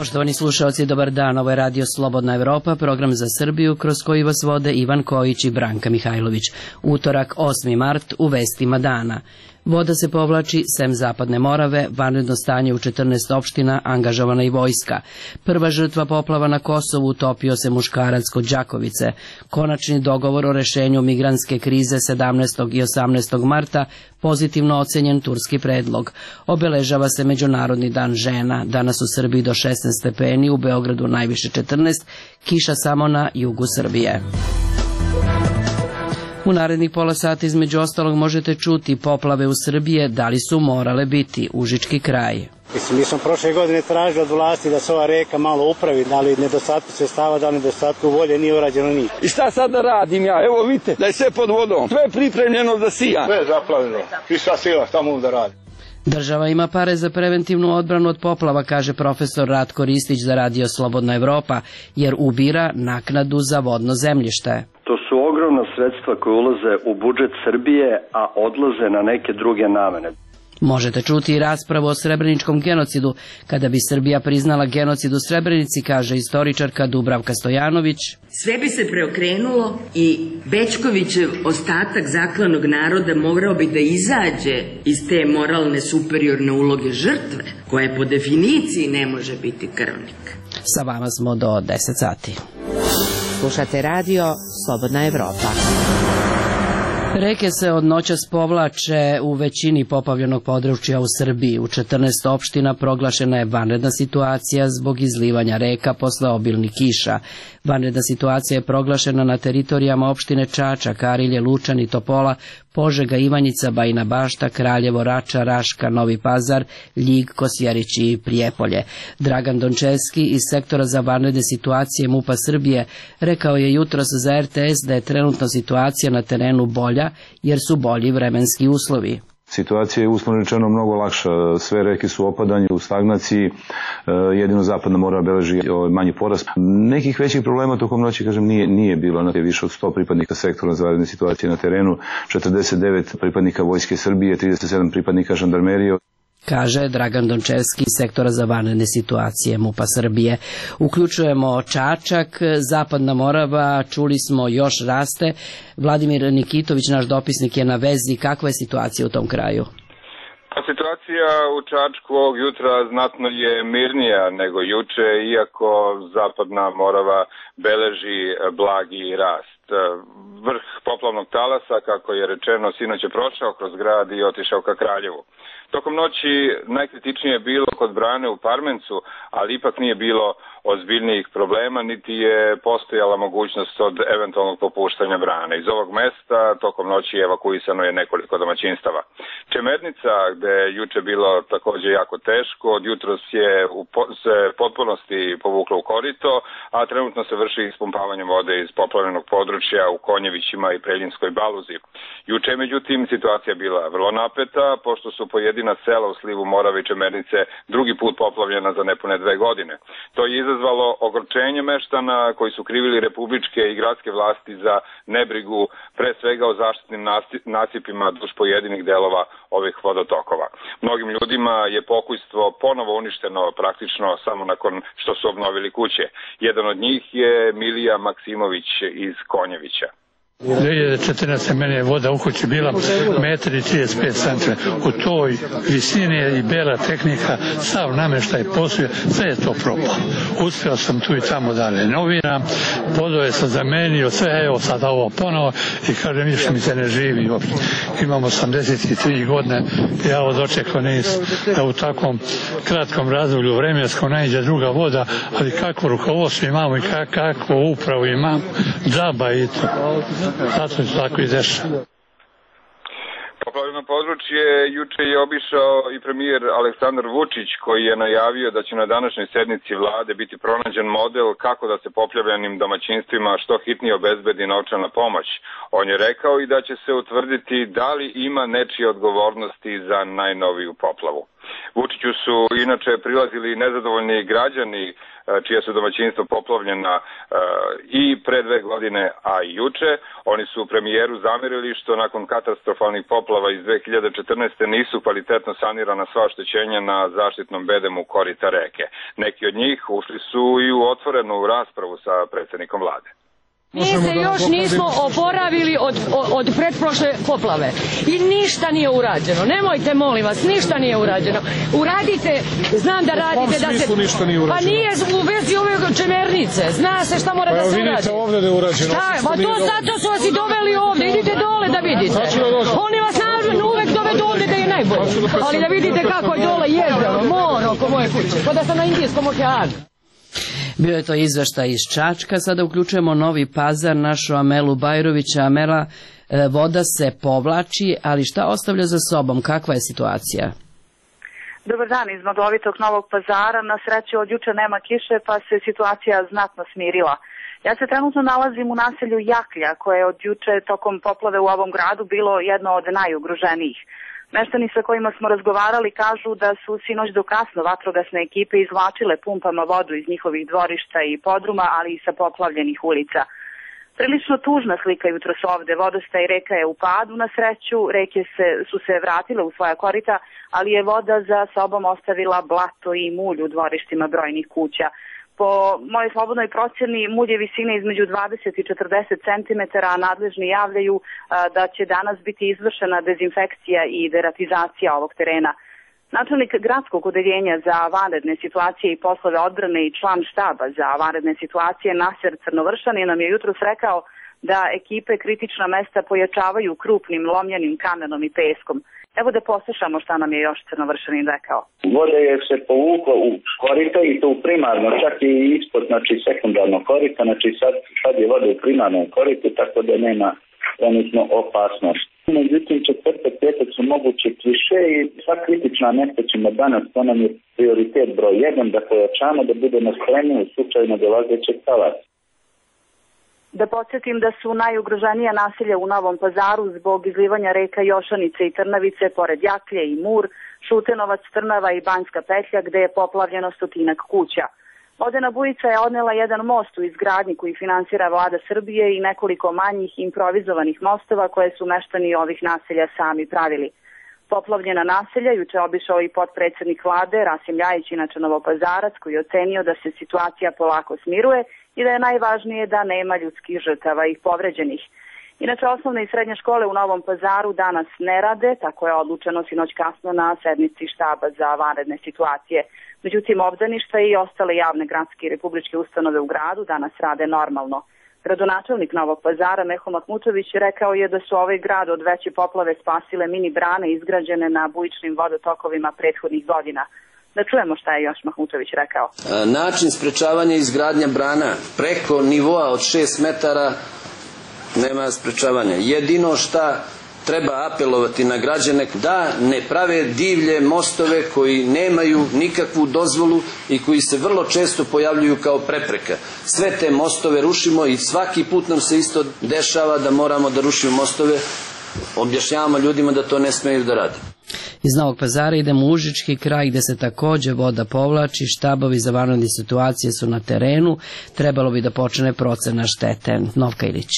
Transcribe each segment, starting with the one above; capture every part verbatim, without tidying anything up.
Poštovani slušalci, dobar dan. Ovo je Radio Slobodna Evropa, program za Srbiju kroz koji vas vode Ivan Kojić i Branka Mihajlović. Utorak, osmi mart, u vestima dana. Voda se povlači sem Zapadne Morave, vanredno stanje u četrnaest opština, angažovana i vojska. Prva žrtva poplava na Kosovu, utopio se muškarac kod Đakovice. Konačni dogovor o rešenju migrantske krize sedamnaestog i osamnaestog marta, pozitivno ocenjen turski predlog. Obeležava se Međunarodni dan žena, danas u Srbiji do šesnaest stepeni, u Beogradu najviše četrnaest, kiša samo na jugu Srbije. U narednih pola sata između ostalog možete čuti poplave u Srbije, da li su morale biti, Užički kraj. Mislim, mi smo prošle godine tražili od vlasti da se ova reka malo upravi, da li nedostatku sredstava, da li nedostatku volje, nije urađeno ništa. I šta sad da radim ja? Evo vidite, da je sve pod vodom, sve je pripremljeno da sija. Sve je zaplavljeno, i sva sila, šta mogu da radi? Država ima pare za preventivnu odbranu od poplava, kaže profesor Ratko Ristić za Radio Slobodna Evropa, jer ubira naknadu za vodno zemljište. To su ogromna sredstva koje ulaze u budžet Srbije, a odlaze na neke druge namene. Možete čuti i raspravu o srebreničkom genocidu. Kada bi Srbija priznala genocid u Srebrenici, kaže istoričarka Dubravka Stojanović, sve bi se preokrenulo i Bećkovićev ostatak zaklanog naroda morao bi da izađe iz te moralne superiorne uloge žrtve, koja po definiciji ne može biti krvnik. Sa vama smo do deset sati. Slušate radio Slobodna Evropa. Reke se od noćas povlače u većini poplavljenog područja u Srbiji. U četrnaest opština proglašena je vanredna situacija zbog izlivanja reka posle obilnih kiša. Vanredna situacija je proglašena na teritorijama opštine Čačak, Arilje, Lučani, Topola, Požega, Ivanjica, Bajina Bašta, Kraljevo, Rača, Raška, Novi Pazar, Ljig, Kosjerić i Prijepolje. Dragan Dončevski iz sektora za vanredne situacije MUP-a Srbije rekao je jutros za R T S da je trenutna situacija na terenu bolja jer su bolji vremenski uslovi. Situacija je uslovno rečeno mnogo lakša, sve reke su u opadanju, u stagnaciji, jedino Zapadna Morava beleži manji porast. Nekih većih problema tokom noći, kažem, nije, nije bilo. Na više od sto pripadnika sektora za vanredne situacije na terenu, četrdeset devet pripadnika Vojske Srbije, trideset sedam pripadnika žandarmerije. Kaže Dragan Dončevski iz sektora za vanredne situacije MUP-a Srbije. Uključujemo Čačak, Zapadna Morava, čuli smo, još raste. Vladimir Nikitović, naš dopisnik, je na vezi. Kakva je situacija u tom kraju? Pa situacija u Čačku ovog jutra znatno je mirnija nego juče, iako Zapadna Morava beleži blagi rast. Vrh poplavnog talasa, kako je rečeno, sinoć je prošao kroz grad i otišao ka Kraljevu. Tokom noći najkritičnije je bilo kod brane u Parmencu, ali ipak nije bilo ozbiljnijih problema, niti je postojala mogućnost od eventualnog popuštanja brane. Iz ovog mesta tokom noći evakuisano je nekoliko domaćinstava. Čemernica, gde je juče bilo također jako teško, od jutros je u po- se potpunosti povuklo u korito, a trenutno se vrši ispumpavanje vode iz poplavljenog područja u Konjevićima i Preljinskoj Baluzi. Juče, međutim, situacija bila vrlo napeta, pošto su pojedina sela u slivu Morave i Čemernice drugi put poplavljena za nepune dve godine. To je izazvalo ogorčenje meštana koji su krivili republičke i gradske vlasti za nebrigu, pre svega o zaštitnim nasipima duž pojedinih delova ovih vodotokova. Mnogim ljudima je pokojstvo ponovo uništeno praktično samo nakon što su obnovili kuće. Jedan od njih je Milija Maksimović iz Konjevića. dve hiljade četrnaeste. meni je voda u kući bila metar i trideset pet centimetara. U toj visini je i bela tehnika, sav nameštaj poslije, sve je to propalo. Uspio sam tu i tamo da renoviram, vodove sam zamenio, sve, evo sad ovo ponovo i kažem, više mi se ne živi uopšte. Imam osamdeset tri godine, ja ovo dočekao nisam da u takvom kratkom razdoblju vremenskom naiđe druga voda, ali kako rukovodstvo imamo i kako upravu imamo, džaba i to. Zato se tako i dešava. Poplavljeno područje juče je obišao i premijer Aleksandar Vučić, koji je najavio da će na današnjoj sednici vlade biti pronađen model kako da se poplavljenim domaćinstvima što hitnije obezbedi novčana pomoć. On je rekao i da će se utvrditi da li ima nečije odgovornosti za najnoviju poplavu. Vučiću su inače prilazili nezadovoljni građani čija su domaćinstva poplavljena i pre dve godine, a i juče. Oni su premijeru zamerili što nakon katastrofalnih poplava iz dve hiljade četrnaeste. nisu kvalitetno sanirana sva oštećenja na zaštitnom bedemu korita reke. Neki od njih ušli su i u otvorenu raspravu sa predsjednikom vlade. Mi se još nismo oporavili od, od, od pretprošle poplave i ništa nije urađeno. Nemojte, molim vas, ništa nije urađeno. Uradite, znam da radite da se... ništa nije urađeno? Pa nije u vezi ove čemernice. Zna se šta mora da se uradi. Pa vidite ovdje da je urađeno. Šta, pa to zato su vas i doveli ovdje. Idite dole da vidite. Oni vas naravno uvek dovedu ovdje da je najbolje. Ali da vidite kako je dole jezero, more oko moje kuće. Kao da sam na Indijskom okeanu. Bio je to izveštaj iz Čačka, sada uključujemo Novi Pazar, našu Amelu Bajrovića. Amela, voda se povlači, ali šta ostavlja za sobom, kakva je situacija? Dobar dan iz maglovitog Novog Pazara, na sreću od juče nema kiše pa se situacija znatno smirila. Ja se trenutno nalazim u naselju Jaklja koje je od juče tokom poplave u ovom gradu bilo jedno od najugroženijih. Meštani sa kojima smo razgovarali kažu da su sinoć do kasno vatrogasne ekipe izvlačile pumpama vodu iz njihovih dvorišta i podruma, ali i sa poplavljenih ulica. Prilično tužna slika jutros ovde. Vodostaj reka je u padu, na sreću, reke se, su se vratile u svoja korita, ali je voda za sobom ostavila blato i mulj u dvorištima brojnih kuća. Po mojoj slobodnoj procjeni mulj je visine između dvadeset i četrdeset centimetara, a nadležni javljaju a, da će danas biti izvršena dezinfekcija i deratizacija ovog terena. Načelnik gradskog odeljenja za vanredne situacije i poslove odbrane i član štaba za vanredne situacije Naser Crnovršan nam je jutros rekao da ekipe kritična mesta pojačavaju krupnim lomljenim kamenom i peskom. Evo da poslušamo šta nam je još Crnovršanin rekao. Voda je se povukla u korita i to u primarno, čak i ispod, znači sekundarno korita, znači sad, sad je voda u primarnom koritu, tako da nema trenutno opasnost. Međutim, četvrtak, petak su moguće kiše i sva kritična mesta ćemo danas, to nam je prioritet broj jedan, da pojačamo da budemo spremni u slučaju nadolazećeg talasa. Da podsjetim da su najugroženija naselja u Novom Pazaru zbog izlivanja reka Jošanice i Trnavice, pored Jaklje i Mur, Šutenovac, Trnava i Banjska petlja, gde je poplavljeno stotinak kuća. Vodena bujica je odnela jedan most u izgradnji koji finansira vlada Srbije i nekoliko manjih improvizovanih mostova koje su meštani ovih naselja sami pravili. Poplavljena naselja juče obišao i potpredsjednik vlade Rasim Ljajić, inače Novopazarac, koji je ocenio da se situacija polako smiruje i da je najvažnije da nema ljudskih žrtava i povređenih. Inače, osnovne i srednje škole u Novom Pazaru danas ne rade, tako je odlučeno sinoć kasno na sednici štaba za vanredne situacije. Međutim, obdaništa i ostale javne gradske i republičke ustanove u gradu danas rade normalno. Gradonačelnik Novog Pazara Meho Mahmutović rekao je da su ovaj grad od veće poplave spasile mini brane izgrađene na bujičnim vodotokovima prethodnih godina. Da čujemo šta je još Mahmutović rekao. Način sprečavanja izgradnja brana preko nivoa od šest metara nema sprečavanja. Jedino šta treba apelovati na građane da ne prave divlje mostove koji nemaju nikakvu dozvolu i koji se vrlo često pojavljuju kao prepreka. Sve te mostove rušimo i svaki put nam se isto dešava da moramo da rušimo mostove. Objašnjavamo ljudima da to ne smeju da rade. Iz Novog Pazara idemo u Užički kraj gde se takođe voda povlači, štabovi za vanredne situacije su na terenu, trebalo bi da počne procena štete. Novka Ilić.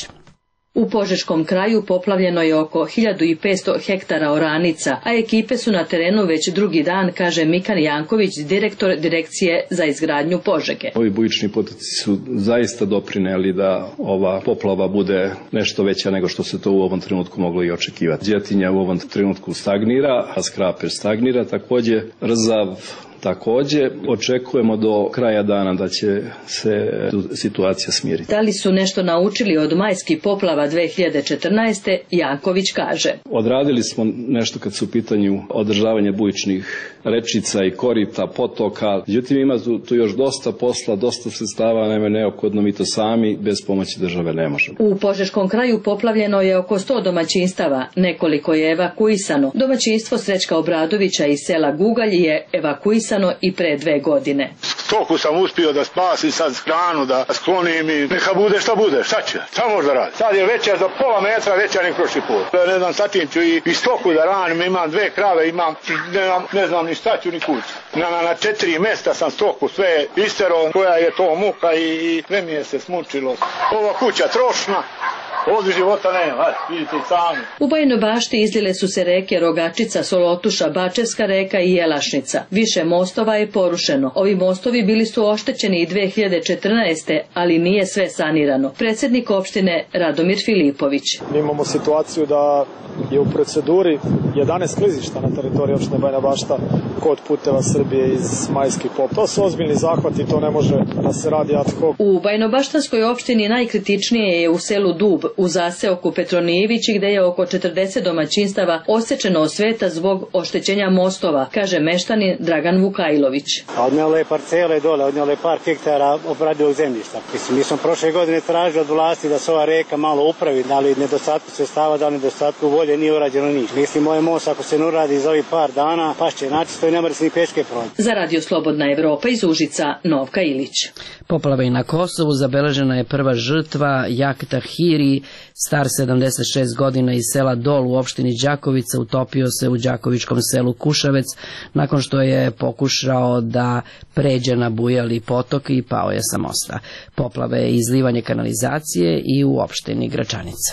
U Požeškom kraju poplavljeno je oko hiljadu petsto hektara oranica, a ekipe su na terenu već drugi dan, kaže Mikan Janković, direktor Direkcije za izgradnju Požege. Ovi bujični potoci su zaista doprineli da ova poplava bude nešto veća nego što se to u ovom trenutku moglo i očekivati. Đetinja u ovom trenutku stagnira, a Skraper stagnira, takođe Rzav takođe. Očekujemo do kraja dana da će se situacija smiriti. Da li su nešto naučili od majskih poplava dve hiljade četrnaeste. Janković kaže. Odradili smo nešto kad su u pitanju održavanje bujičnih rečica i korita, potoka. Međutim, ima tu još dosta posla, dosta sredstava, nema neophodno, mi to sami bez pomoći države ne možemo. U Požeškom kraju poplavljeno je oko sto domaćinstava, nekoliko je evakuisano. Domaćinstvo Srećka Obradovića iz sela Gugalj je evakuisano i pre dve godine. stoku sam uspio da spasim, sad hranu da sklonim i neka bude šta bude, šta će, šta možda radi. Sad je veća za pola metra, veća nek prošli put. Ne znam, sa tim ću i, i stoku da ranim, imam dve krave, imam, ne, ne znam ni šta ću ni kući. Na, na, na četiri mesta sam stoku sve istero, koja je to muka i, i sve mi je se smučilo. Ova kuća trošna. Ovdje života nema, vidite i sami. U Bajinoj Bašti izlile su se reke Rogačica, Solotuša, Bačevska reka i Jelašnica. Više mostova je porušeno. Ovi mostovi bili su oštećeni i dve hiljade četrnaeste. ali nije sve sanirano. Predsjednik opštine Radomir Filipović. Mi imamo situaciju da je u proceduri jedanaest klizišta na teritoriji opštine Bajina Bašta kod puteva Srbije iz majskih poplava. To su ozbiljni zahvati, to ne može da se radi ad hoc. U Bajinobaštanskoj opštini najkritičnije je u selu Dub, u zaseoku Petronijevići, gde je oko četrdeset domaćinstava osečeno od sveta zbog oštećenja mostova, kaže meštanin Dragan Vukajlović. Odnijele parcele dole, odnijele par hektara obradivog zemljišta. Mislim, mi smo prošle godine tražili od vlasti da se ova reka malo upravi, da li nedostatku sredstava, da li nedostatku volje, nije urađeno ništa. Mislim, ovaj most ako se ne uradi za ovih par dana, pašće načisto i ne mora se ni peške proći. Za Radio Slobodna Evropa iz Užica, Novka Ilić. Poplava i na Kosovu, zabeležena je prva žrtva, Jakta Hiri, star sedamdeset šest godina iz sela Dol u opštini Đakovica, utopio se u đakovičkom selu Kušavec nakon što je pokušao da pređe na bujali potok i pao je sa mosta. Poplave je izlivanje kanalizacije i u opštini Gračanica.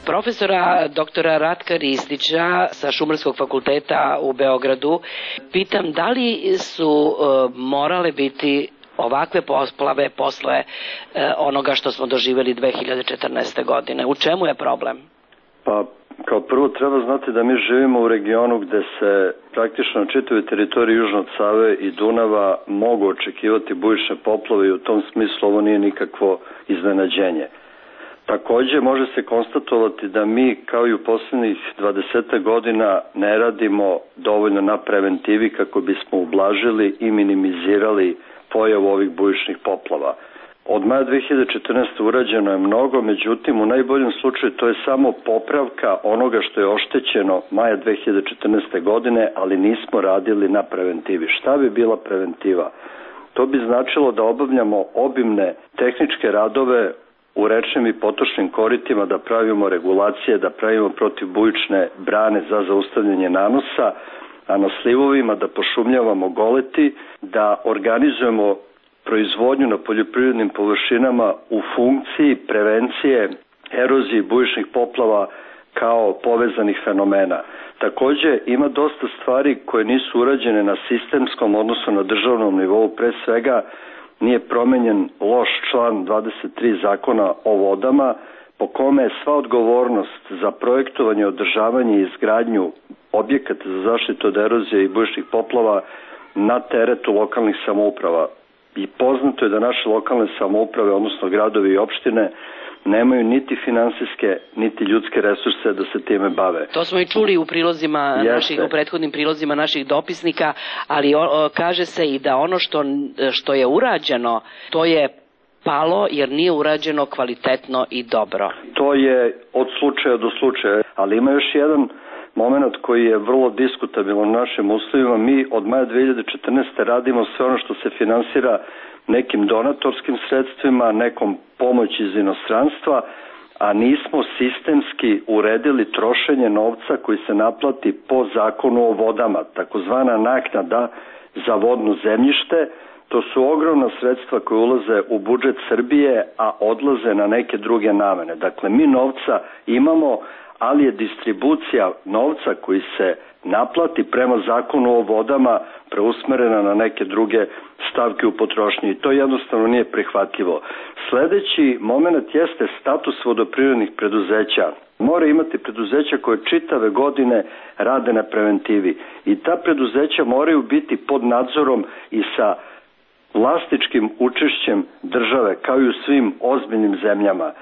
Profesora doktora Ratka Ristića sa Šumarskog fakulteta u Beogradu pitam da li su uh, morale biti ovakve poplave posle uh, onoga što smo doživjeli dve hiljade četrnaeste. godine. U čemu je problem? Pa, kao prvo treba znati da mi živimo u regionu gde se praktično na čitavoj teritoriji južno od Save i Dunava mogu očekivati bujične poplave i u tom smislu ovo nije nikakvo iznenađenje. Takođe može se konstatovati da mi kao i u poslednjih dvadeset godina ne radimo dovoljno na preventivi kako bismo ublažili i minimizirali pojavu ovih bujičnih poplava. Od maja dve hiljade četrnaeste. urađeno je mnogo, međutim u najboljem slučaju to je samo popravka onoga što je oštećeno maja dve hiljade četrnaeste. godine, ali nismo radili na preventivi. Šta bi bila preventiva? To bi značilo da obavljamo obimne tehničke radove u rečnim i potočnim koritima, da pravimo regulacije, da pravimo protivbujične brane za zaustavljanje nanosa, a na slivovima da pošumljavamo goleti, da organizujemo proizvodnju na poljoprivrednim površinama u funkciji prevencije erozije i bujičnih poplava kao povezanih fenomena. Takođe, ima dosta stvari koje nisu urađene na sistemskom, odnosno na državnom nivou, pre svega nije promenjen loš član dvadeset tri Zakona o vodama, po kome je sva odgovornost za projektovanje, održavanje i izgradnju objekata za zaštitu od erozije i bujičnih poplava na teretu lokalnih samouprava. I poznato je da naše lokalne samouprave, odnosno gradovi i opštine, nemaju niti finansijske, niti ljudske resurse da se time bave. To smo i čuli u prilozima naših, u prethodnim prilozima naših dopisnika, ali o, o, kaže se i da ono što, što je urađeno, to je palo jer nije urađeno kvalitetno i dobro. To je od slučaja do slučaja, ali ima još jedan moment koji je vrlo diskutabilan u našim uslovima. Mi od maja dve hiljade četrnaeste. radimo sve ono što se finansira nekim donatorskim sredstvima, nekom pomoći iz inostranstva, a nismo sistemski uredili trošenje novca koji se naplati po zakonu o vodama, takozvana naknada za vodno zemljište. To su ogromna sredstva koje ulaze u budžet Srbije, a odlaze na neke druge namene. Dakle, mi novca imamo, ali je distribucija novca koji se naplati prema zakonu o vodama preusmerena na neke druge stavke u potrošnji. I to jednostavno nije prihvatljivo. Sledeći moment jeste status vodoprivrednih preduzeća. Mora imati preduzeća koje čitave godine rade na preventivi. I ta preduzeća moraju biti pod nadzorom i sa vlasničkim učešćem države, kao i u svim ozbiljnim zemljama.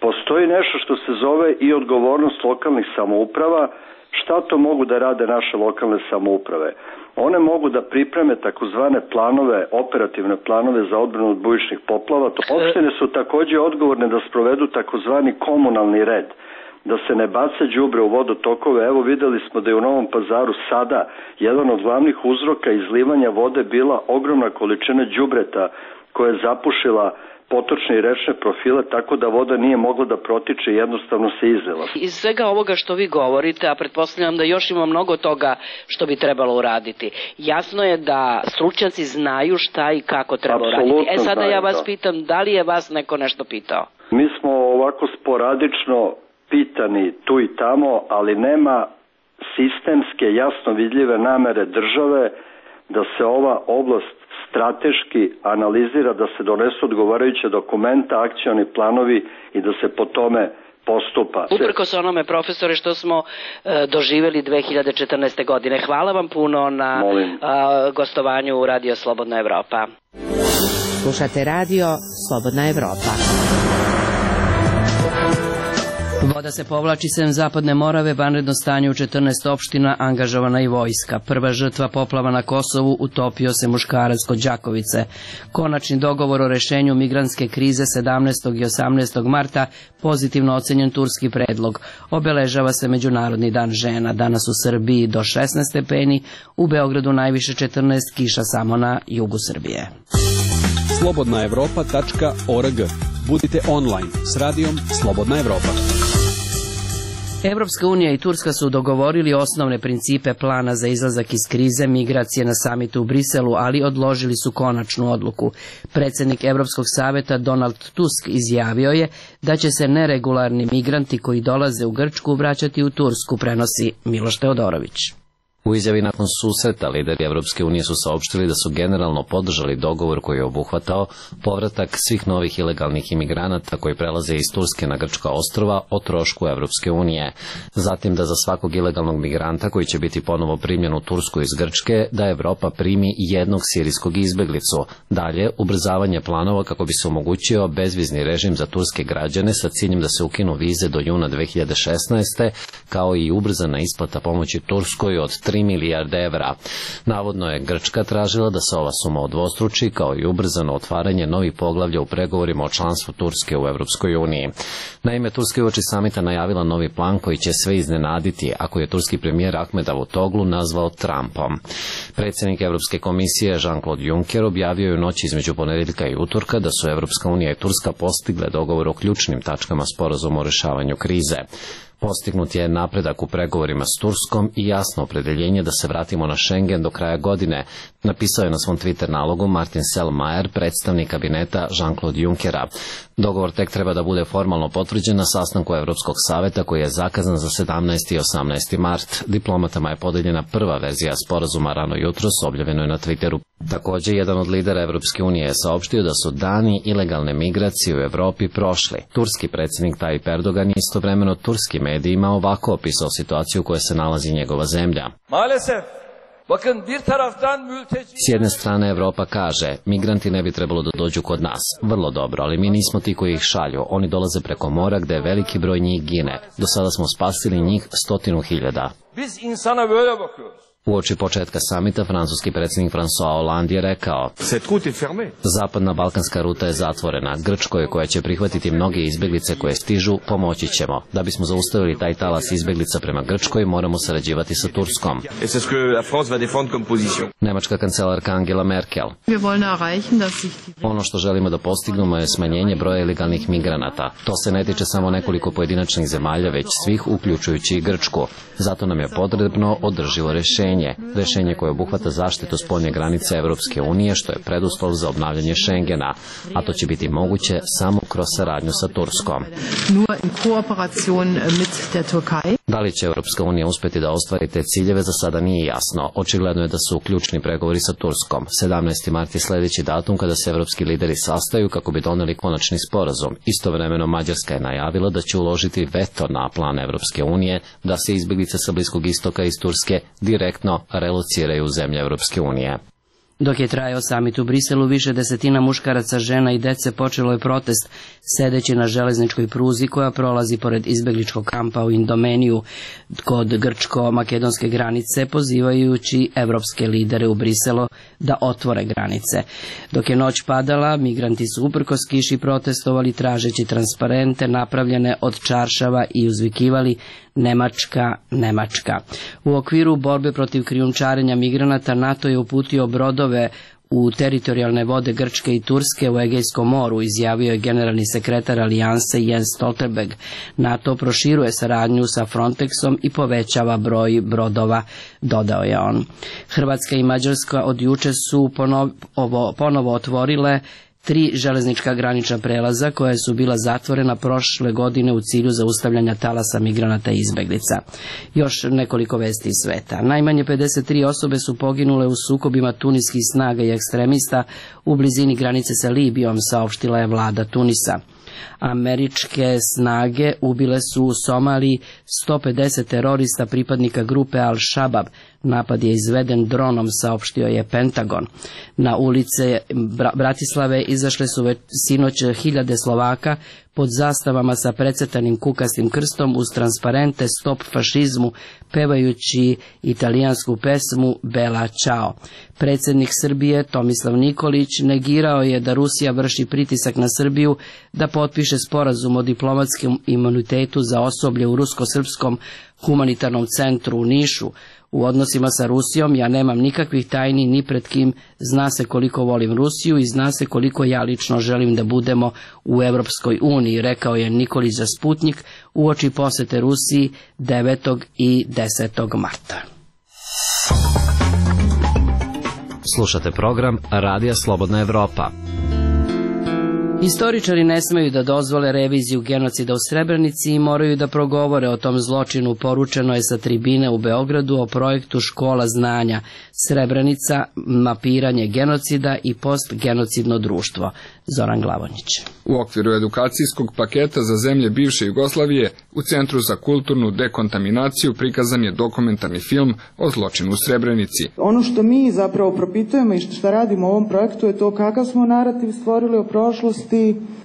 Postoji nešto što se zove i odgovornost lokalnih samouprava. Šta to mogu da rade naše lokalne samouprave? One mogu da pripreme takozvane planove, operativne planove za odbranu od bujičnih poplava. Opštine su takođe odgovorne da sprovedu takozvani komunalni red. da se ne baca đubre u vodotokove. Evo videli smo da je u Novom Pazaru sada jedan od glavnih uzroka izlivanja vode bila ogromna količina đubreta koja je zapušila potočne i rečne profile, tako da voda nije mogla da protiče, jednostavno se izlila. Iz svega ovoga što vi govorite, a pretpostavljam da još ima mnogo toga što bi trebalo uraditi, jasno je da stručnjaci znaju šta i kako treba Apsolutno uraditi. E sada znaju, ja vas da. pitam, da li je vas neko nešto pitao? Mi smo ovako sporadično pitani tu i tamo, ali nema sistemske, jasno vidljive namere države da se ova oblast strateški analizira, da se donesu odgovarajuće dokumenta, akcioni planovi i da se po tome postupa. Uprkos onome, profesore, što smo e, doživjeli dve hiljade četrnaeste. godine. Hvala vam puno na e, gostovanju u Radio Slobodna Evropa. Slušate Radio Slobodna Evropa. Voda se povlači sem Zapadne Morave, vanredno stanje u četrnaest opština, angažovana i vojska. Prva žrtva poplava na Kosovu, utopio se muškarac kod Đakovice. Konačni dogovor o rešenju migrantske krize sedamnaestog i osamnaestog marta, pozitivno ocenjen turski predlog. Obeležava se Međunarodni dan žena. Danas u Srbiji do šesnaest stepeni, u Beogradu najviše četrnaest, kiša samo na jugu Srbije. slobodna evropa tačka org. Budite online s radijom Slobodna Evropa. Evropska unija i Turska su dogovorili osnovne principe plana za izlazak iz krize migracije na samitu u Briselu, ali odložili su konačnu odluku. Predsednik Evropskog saveta Donald Tusk izjavio je da će se neregularni migranti koji dolaze u Grčku vraćati u Tursku, prenosi Miloš Teodorović. U izjavi nakon susreta lideri Evropske unije su saopštili da su generalno podržali dogovor koji je obuhvatao povratak svih novih ilegalnih imigranata koji prelaze iz Turske na grčka ostrva o trošku Evropske unije. Zatim da za svakog ilegalnog migranta koji će biti ponovo primljen u Tursku iz Grčke, da Evropa primi jednog sirijskog izbeglicu. Dalje, ubrzavanje planova kako bi se omogućio bezvizni režim za turske građane sa ciljem da se ukinu vize do juna dve hiljade šesnaeste. kao i ubrzana isplata pomoći Turskoj od tri milijarde evra. Navodno je Grčka tražila da se ova suma odvostruči, kao i ubrzano otvaranje novih poglavlja u pregovorima o članstvu Turske u Evropskoj uniji. Naime, Turska je uoči samita najavila novi plan koji će sve iznenaditi, ako je turski premijer Ahmed Davutoglu nazvao Trumpom. Predsjednik Evropske komisije Jean-Claude Juncker objavio je u noći između ponedeljka i utorka da su Evropska unija i Turska postigle dogovor o ključnim tačkama sporazuma o rešavanju krize. Postignut je napredak u pregovorima s Turskom i jasno opredeljenje da se vratimo na Schengen do kraja godine, napisao je na svom Twitter nalogu Martin Selmayr, predstavnik kabineta Jean-Claude Junckera. Dogovor tek treba da bude formalno potvrđen na sastanku Evropskog saveta koji je zakazan za sedamnaesti i osamnaesti mart. Diplomatama je podeljena prva verzija sporazuma rano jutros, objavljeno je na Twitteru. Također, jedan od lidera Evropske unije je saopštio da su dani ilegalne migracije u Evropi prošli. Turski predsjednik Tayyip Erdogan je istovremeno turskim medijima ovako opisao situaciju u kojoj se nalazi njegova zemlja. Maalesef, bakın bir taraftan mülteci... S jedne strane Evropa kaže, migranti ne bi trebalo da dođu kod nas. Vrlo dobro, ali mi nismo ti koji ih šalju. Oni dolaze preko mora gde veliki broj njih gine. Do sada smo spasili njih stotinu hiljada. Biz insana böyle bakıyoruz. Uoči početka samita, francuski predsjednik François Hollande je rekao: Zapadna balkanska ruta je zatvorena. Grčkoj, koja će prihvatiti mnoge izbjeglice koje stižu, pomoći ćemo. Da bismo zaustavili taj talas izbjeglica prema Grčkoj, moramo sarađivati sa Turskom. Nemačka kancelarka Angela Merkel: Ono što želimo da postignemo je smanjenje broja ilegalnih migranata. To se ne tiče samo nekoliko pojedinačnih zemalja, već svih, uključujući i Grčku. Zato nam je potrebno održivo rešenje. Rešenje koje obuhvata zaštitu spoljne granice Evropske unije, što je preduslov za obnavljanje Schengena, a to će biti moguće samo kroz saradnju sa Turskom. Da li će Evropska unija uspjeti da ostvari te ciljeve, za sada nije jasno. Očigledno je da su ključni pregovori sa Turskom. sedamnaesti mart je sljedeći datum kada se evropski lideri sastaju kako bi doneli konačni sporazum. Istovremeno Mađarska je najavila da će uložiti veto na plan Evropske unije da se izbjeglice sa Bliskog istoka iz Turske direktno relociraju u zemlje Evropske unije. Dok je trajao samit u Briselu, više desetina muškaraca, žena i dece počelo je protest sedeći na železničkoj pruzi koja prolazi pored izbegličkog kampa u Indomeniju kod grčko-makedonske granice, pozivajući evropske lidere u Briselu da otvore granice. Dok je noć padala, migranti su uprkos kiši protestovali tražeći transparente napravljene od čaršava i uzvikivali Nemačka, Nemačka. U okviru borbe protiv krijumčarenja migranata NATO je uputio brodove u teritorijalne vode Grčke i Turske u Egejskom moru, izjavio je generalni sekretar Alijanse Jens Stoltenberg. NATO proširuje saradnju sa Frontexom i povećava broj brodova, dodao je on. Hrvatska i Mađarska od juče su ponovo, ponovo otvorile tri železnička granična prelaza koja su bila zatvorena prošle godine u cilju zaustavljanja talasa migranata i izbeglica. Još nekoliko vesti iz sveta. Najmanje pedeset tri osobe su poginule u sukobima tuniskih snaga i ekstremista u blizini granice sa Libijom, saopštila je vlada Tunisa. Američke snage ubile su u Somaliji sto pedeset terorista pripadnika grupe Al-Shabaab. Napad je izveden dronom, saopštio je Pentagon. Na ulice Bratislave izašle su već sinoć hiljade Slovaka pod zastavama sa precrtanim kukastim krstom uz transparente Stop fašizmu, pevajući italijansku pesmu Bella Ciao. Predsjednik Srbije Tomislav Nikolić negirao je da Rusija vrši pritisak na Srbiju da potpiše sporazum o diplomatskom imunitetu za osoblje u Rusko-srpskom humanitarnom centru u Nišu. U odnosima sa Rusijom ja nemam nikakvih tajni ni pred kim, zna se koliko volim Rusiju i zna se koliko ja lično želim da budemo u Evropskoj uniji, rekao je Nikolić za Sputnik uoči posete Rusiji devetog i desetog marta. Slušate program Radija Slobodna Evropa. Istoričari ne smeju da dozvole reviziju genocida u Srebrenici i moraju da progovore o tom zločinu, poručeno je sa tribine u Beogradu o projektu Škola znanja Srebrenica, mapiranje genocida i postgenocidno društvo. Zoran Glavonić. U okviru edukacijskog paketa za zemlje bivše Jugoslavije u Centru za kulturnu dekontaminaciju prikazan je dokumentarni film o zločinu u Srebrenici. Ono što mi zapravo propitujemo i što radimo u ovom projektu je to kakav smo narativ stvorili o prošlosti,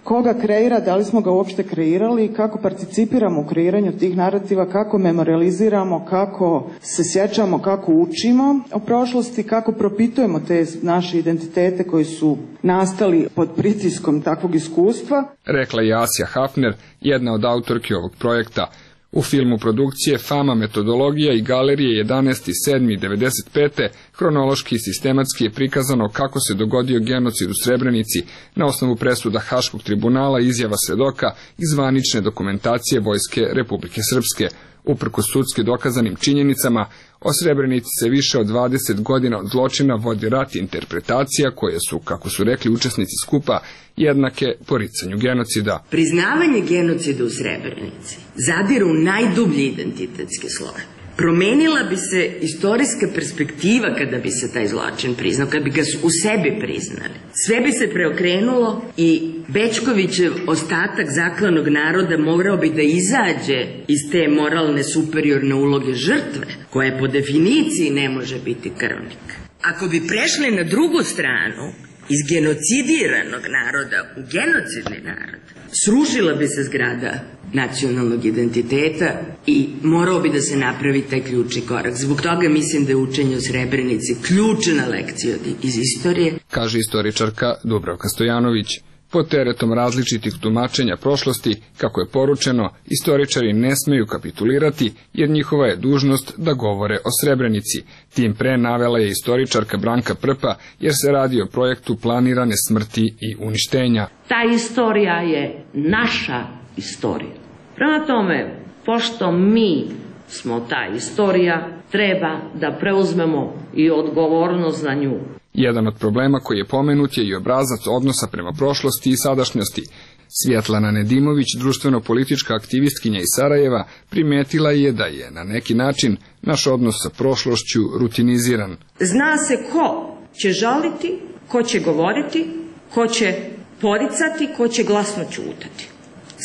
koga kreira, da li smo ga uopšte kreirali, kako participiramo u kreiranju tih narativa, kako memorializiramo, kako se sjećamo, kako učimo o prošlosti, kako propitujemo te naše identitete koji su nastali pod pritiskom takvog iskustva. Rekla je Asja Hafner, jedna od autorki ovog projekta. U filmu produkcije Fama, metodologija i galerije jedanaesti sedmi devedeset pete hronološki i sistematski je prikazano kako se dogodio genocid u Srebrenici na osnovu presuda Haškog tribunala, izjava svedoka i zvanične dokumentacije Vojske Republike Srpske. Uprkos sudski dokazanim činjenicama, o Srebrenici se više od dvadeset godina od zločina vodi rat interpretacija koje su, kako su rekli učesnici skupa, jednake poricanju genocida. Priznavanje genocida u Srebrenici zadire u najdublji identitetski sloj. Promenila bi se istorijska perspektiva kada bi se taj zločin priznao, kada bi ga u sebi priznali. Sve bi se preokrenulo i Bećkovićev ostatak zaklanog naroda morao bi da izađe iz te moralne superiorne uloge žrtve, koja po definiciji ne može biti krvnik. Ako bi prešli na drugu stranu, iz genocidiranog naroda u genocidni narod, srušila bi se zgrada nacionalnog identiteta i morao bi da se napravi taj ključni korak. Zbog toga mislim da je učenje o Srebrenici ključna lekcija iz istorije, kaže istoričarka Dubravka Stojanović. Pod teretom različitih tumačenja prošlosti, kako je poručeno, istoričari ne smeju kapitulirati, jer njihova je dužnost da govore o Srebrenici. Tim pre navela je istoričarka Branka Prpa, jer se radi o projektu planirane smrti i uništenja. Ta istorija je naša istorija. Prema tome, pošto mi smo ta istorija, treba da preuzmemo i odgovornost za nju. Jedan od problema koji je pomenut je i obrazac odnosa prema prošlosti i sadašnjosti. Svjetlana Nedimović, društveno-politička aktivistkinja iz Sarajeva, primetila je da je na neki način naš odnos sa prošlošću rutiniziran. Zna se ko će žaliti, ko će govoriti, ko će poricati, ko će glasno ćutati.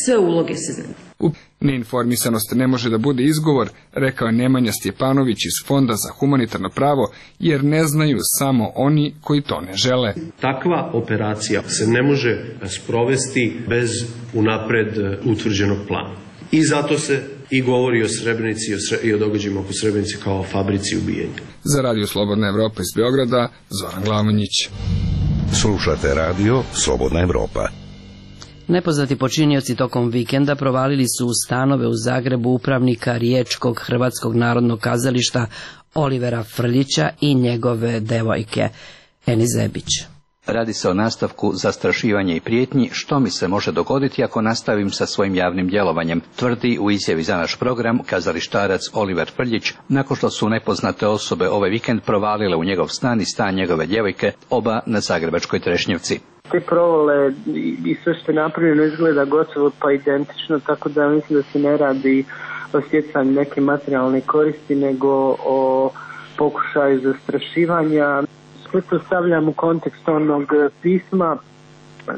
Sve uloge se znaju. Neinformisanost ne može da bude izgovor, rekao je Nemanja Stjepanović iz Fonda za humanitarno pravo, jer ne znaju samo oni koji to ne žele. Takva operacija se ne može sprovesti bez unapred utvrđenog plana. I zato se i govori o Srebrenici i o događajima oko Srebrenice kao o fabrici ubijenja. Za Radio Slobodna Evropa iz Beograda, Zoran Glamonjić. Slušate Radio Slobodna Evropa. Nepoznati počinioci tokom vikenda provalili su u stanove u Zagrebu upravnika Riječkog Hrvatskog narodnog kazališta Olivera Frljića i njegove devojke Eni Zebić. Radi se o nastavku zastrašivanja i prijetnji, što mi se može dogoditi ako nastavim sa svojim javnim djelovanjem, tvrdi u izjavi za naš program kazalištarac Oliver Frljić, nakon što su nepoznate osobe ovaj vikend provalile u njegov stan i stan njegove djevojke, oba na zagrebačkoj Trešnjevci. Te provale i sve što je napravljeno izgleda gotovo pa identično, tako da mislim da se ne radi o stjecanju neke materijalne koristi, nego o pokušaju zastrašivanja. Sve to stavljam u kontekst onog pisma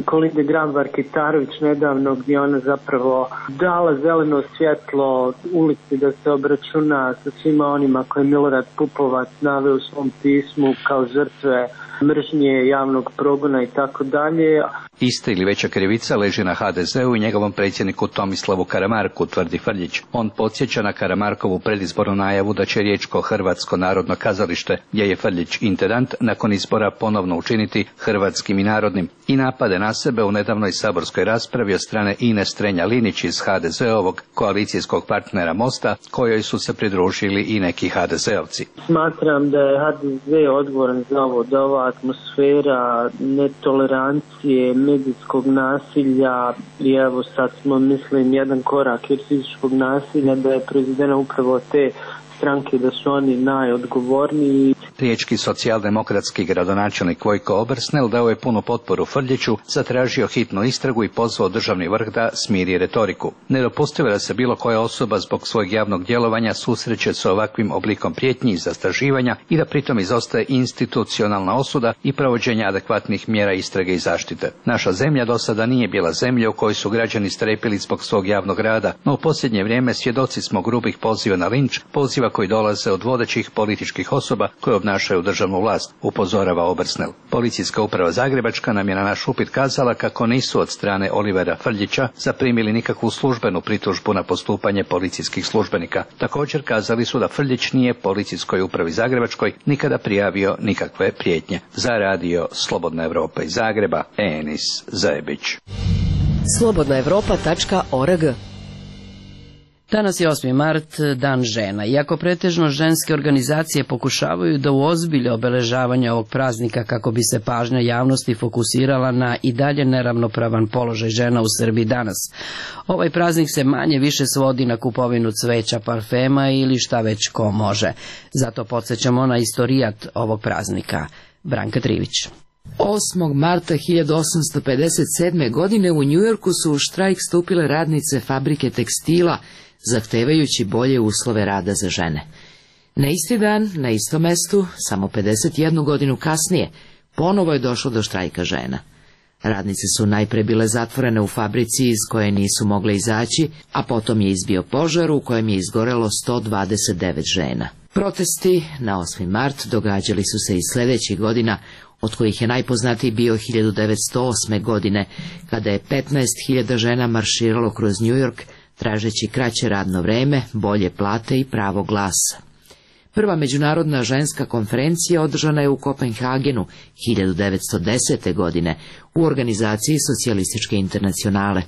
Kolinde Grabar-Kitarović nedavno, gdje ona zapravo dala zeleno svjetlo ulici da se obračuna sa svima onima koje je Milorad Pupovac naveo u svom pismu kao žrtve mržnje, javnog progona i tako dalje. Ista ili veća krivica leži na ha de zeu i njegovom predsjedniku Tomislavu Karamarku, tvrdi Frljić. On podsjeća na Karamarkovu predizbornu najavu da će Riječko Hrvatsko narodno kazalište, gdje je Frljić intendant, nakon izbora ponovno učiniti hrvatskim i narodnim, i napade na sebe u nedavnoj saborskoj raspravi od strane Ine Strenja-Linić iz ha de zeovog koalicijskog partnera Mosta, kojoj su se pridružili i neki ha de zeovci. Smatram da je ha de ze odgovoran za ovo, da ova atmosfera netolerancije, medijskog nasilja i evo sad smo, mislim, jedan korak od fizičkog nasilja, da je proizvedena upravo te stranke, da su oni najodgovorniji. Riječki socijaldemokratski gradonačelnik Vojko Obersnel dao je punu potporu Frljiću, zatražio hitnu istragu i pozvao državni vrh da smiri retoriku. Nedopustivo je da se bilo koja osoba zbog svojeg javnog djelovanja susreće sa ovakvim oblikom prijetnji i zastrašivanja i da pritom izostaje institucionalna osuda i provođenje adekvatnih mjera istrage i zaštite. Naša zemlja do sada nije bila zemlja u kojoj su građani strepili zbog svog javnog rada, no u posljednje vrijeme svjedoci smo grubih poziva na linč, poziva koji dolaze od vodećih političkih osoba koje obnašaju državnu vlast, upozorava Obersnel. Policijska uprava Zagrebačka nam je na naš upit kazala kako nisu od strane Olivera Frljića zaprimili nikakvu službenu pritužbu na postupanje policijskih službenika. Također kazali su da Frljić nije policijskoj upravi Zagrebačkoj nikada prijavio nikakve prijetnje. Za Radio Slobodna Evropa iz Zagreba, Enis Zebić. slobodna evropa tačka org. Danas je osmi mart, dan žena. Iako pretežno ženske organizacije pokušavaju da uozbilje obeležavanje ovog praznika kako bi se pažnja javnosti fokusirala na i dalje neravnopravan položaj žena u Srbiji danas. Ovaj praznik se manje više svodi na kupovinu cveća, parfema ili šta već ko može. Zato podsjećamo na istorijat ovog praznika. Branka Trivić. osmog marta hiljadu osamsto pedeset sedme. godine u Njujorku su u štrajk stupile radnice fabrike tekstila, zahtevajući bolje uslove rada za žene. Na isti dan, na istom mestu, samo pedeset jednu godinu kasnije, ponovo je došlo do štrajka žena. Radnice su najpre bile zatvorene u fabrici iz koje nisu mogle izaći, a potom je izbio požar u kojem je izgorelo sto dvadeset devet žena. Protesti na osmi mart događali su se i sljedećih godina, od kojih je najpoznatiji bio hiljadu devetsto osme. godine, kada je petnaest hiljada žena marširalo kroz New York, tražeći kraće radno vreme, bolje plate i pravo glasa. Prva međunarodna ženska konferencija održana je u Kopenhagenu hiljadu devetsto desete. godine u organizaciji Socijalističke internacionale.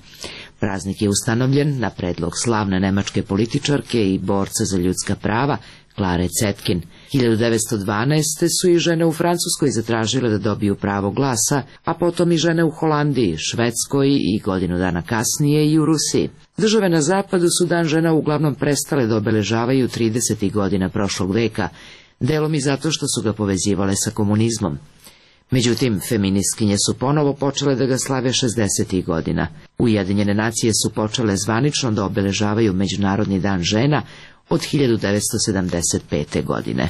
Praznik je ustanovljen na predlog slavne nemačke političarke i borca za ljudska prava Klare Cetkin. hiljadu devetsto dvanaeste. su i žene u Francuskoj zatražile da dobiju pravo glasa, a potom i žene u Holandiji, Švedskoj i godinu dana kasnije i u Rusiji. Države na zapadu su dan žena uglavnom prestale da obeležavaju tridesetih godina prošlog veka, delom i zato što su ga povezivale sa komunizmom. Međutim, feministkinje su ponovo počele da ga slave šezdesetih godina. Ujedinjene nacije su počele zvanično da obeležavaju Međunarodni dan žena od hiljadu devetsto sedamdeset pete. godine.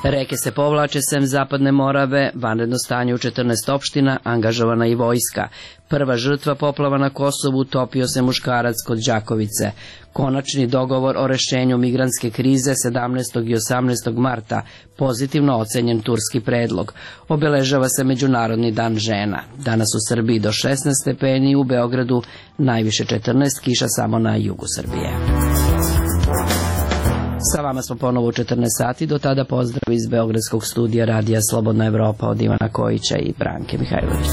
Reke se povlače sem Zapadne Morave, vanredno stanje u četrnaest opština, angažovana i vojska. Prva žrtva poplava na Kosovu, topio se muškarac kod Đakovice. Konačni dogovor o rešenju migrantske krize sedamnaestog i osamnaestog marta, pozitivno ocenjen turski predlog. Obeležava se Međunarodni dan žena. Danas u Srbiji do šesnaest stepeni, u Beogradu najviše četrnaest, kiša samo na jugu Srbije. Sa vama smo ponovo u četrnaest sati, do tada pozdrav iz Beogradskog studija Radija Slobodna Evropa od Ivana Kojića i Branke Mihajlović.